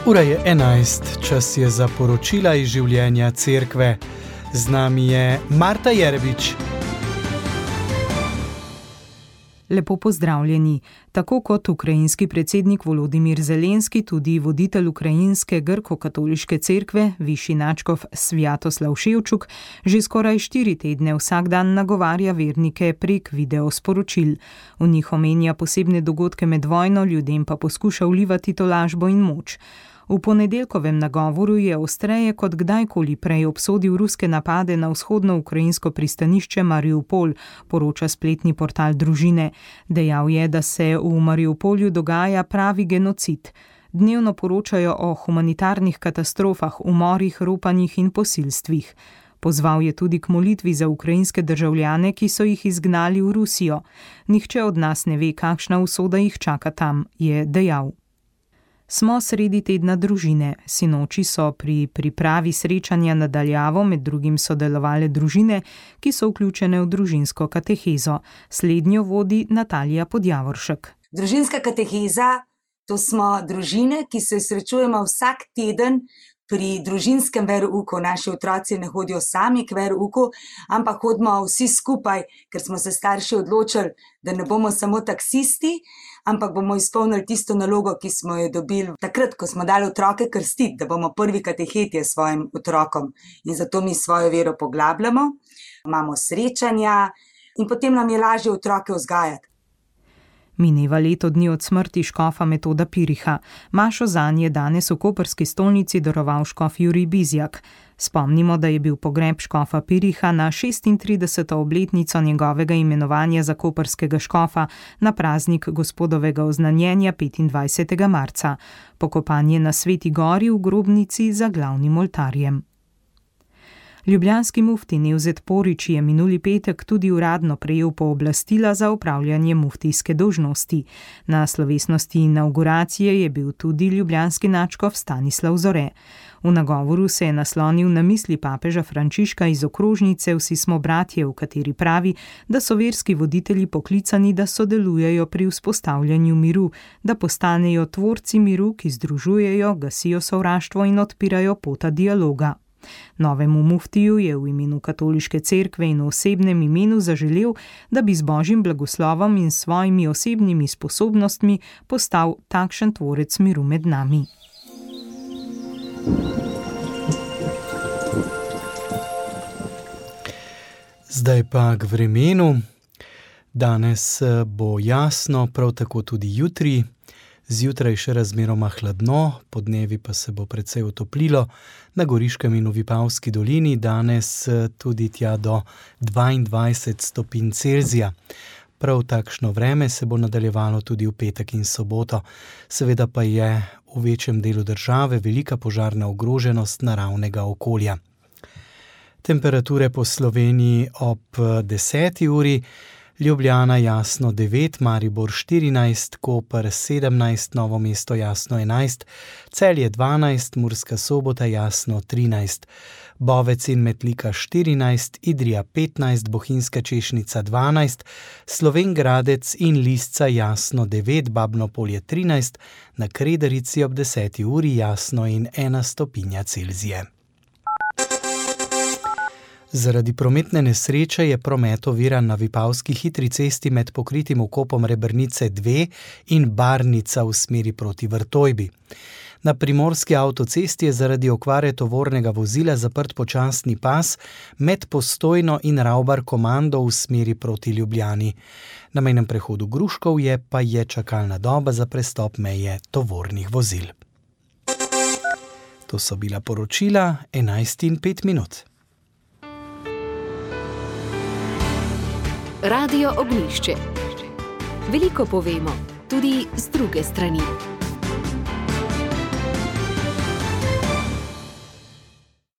Ura je 11, čas je za poročila iz življenja cerkve. Z nami je Marta Jerebič. Lepo pozdravljeni. Tako kot ukrajinski predsednik Volodimir Zelenski, tudi voditelj ukrajinske grko-katoliške cerkve, višji nadškof Sviatoslav Ševčuk, že skoraj 4 tedne vsak dan nagovarja vernike prek videosporočil. V njih omenja posebne dogodke med vojno, ljudem pa poskuša vlivati tolažbo in moč. V ponedeljkovem nagovoru je ostreje kot kdajkoli prej obsodil ruske napade na vzhodno ukrajinsko pristanišče Mariupol, poroča spletni portal Družine. Dejal je, da se v Mariupolju dogaja pravi genocid. Dnevno poročajo o humanitarnih katastrofah, umorih, ropanjih in posilstvih. Pozval je tudi k molitvi za ukrajinske državljane, ki so jih izgnali v Rusijo. Nihče od nas ne ve, kakšna usoda jih čaka tam, je dejal. Smo sredi tedna družine. Sinoči so pri pripravi srečanja na daljavo med drugim sodelovale družine, ki so vključene v družinsko katehezo. Slednjo vodi Natalija Podjavoršek. Družinska kateheza, to smo družine, ki se srečujemo vsak teden pri družinskem verouku. Naši otroci ne hodijo sami k verouku, ampak hodimo vsi skupaj, ker smo se starši odločili, da ne bomo samo taksisti, ampak bomo izpolnili tisto nalogo, ki smo jo dobili takrat, ko smo dali otroke krstiti, da bomo prvi katehetje svojim otrokom. In zato mi svojo vero poglabljamo, imamo srečanja in potem nam je lažje otroke vzgajati. Mineva leto dni od smrti škofa Metoda Piriha. Mašo zanj je danes v koprski stolnici daroval škof Jurij Bizjak. Spomnimo, da je bil pogreb škofa Piriha na 36. obletnico njegovega imenovanja za koprskega škofa na praznik gospodovega oznanjenja 25. marca. Pokopan je na Sveti gori v grobnici za glavnim oltarjem. Ljubljanski mufti Nevzet Porić je minuli petek tudi uradno prejel pooblastila za opravljanje muftijske dolžnosti. Na slovesnosti inavguracije je bil tudi ljubljanski nadškof Stanislav Zore. V nagovoru se je naslonil na misli papeža Frančiška iz okrožnice Vsi smo bratje, v kateri pravi, da so verski voditelji poklicani, da sodelujejo pri vzpostavljanju miru, da postanejo tvorci miru, ki združujejo, gasijo sovraštvo in odpirajo pota dialoga. Novemu muftiju je v imenu katoliške cerkve in v osebnem imenu zaželel, da bi z božjim blagoslovom in svojimi osebnimi sposobnostmi postal takšen tvorec miru med nami. Zdaj pa k vremenu. Danes bo jasno, prav tako tudi jutri. Zjutraj še razmeroma hladno, podnevi pa se bo precej otoplilo. Na Goriškem in v Vipavski dolini danes tudi tja do 22 stopinj Celzija. Prav takšno vreme se bo nadaljevalo tudi v petek in soboto. Seveda pa je v večjem delu države velika požarna ogroženost naravnega okolja. Temperature po Sloveniji ob 10. uri. Ljubljana jasno 9, Maribor 14, Koper 17, Novo mesto jasno 11, Celje 12, Murska Sobota jasno 13, Bovec in Metlika 14, Idrija 15, Bohinjska Češnica 12, Slovenj Gradec in Lisca jasno 9, Babno Polje 13, na Kredarici ob 10. uri jasno in 1 stopinja Celzije. Zaradi prometne nesreče je promet oviran na Vipavski hitri cesti med pokritim vkopom Rebrnice 2 in Barnica v smeri proti Vrtojbi. Na primorski avtocesti je zaradi okvare tovornega vozila zaprt počasni pas med Postojno in Ravbar Komando v smeri proti Ljubljani. Na mejnem prehodu Gruškovje pa je čakalna doba za prestop meje tovornih vozil. To so bila poročila 11:05. Radio Ognjišče. Veliko povemo, tudi z druge strani.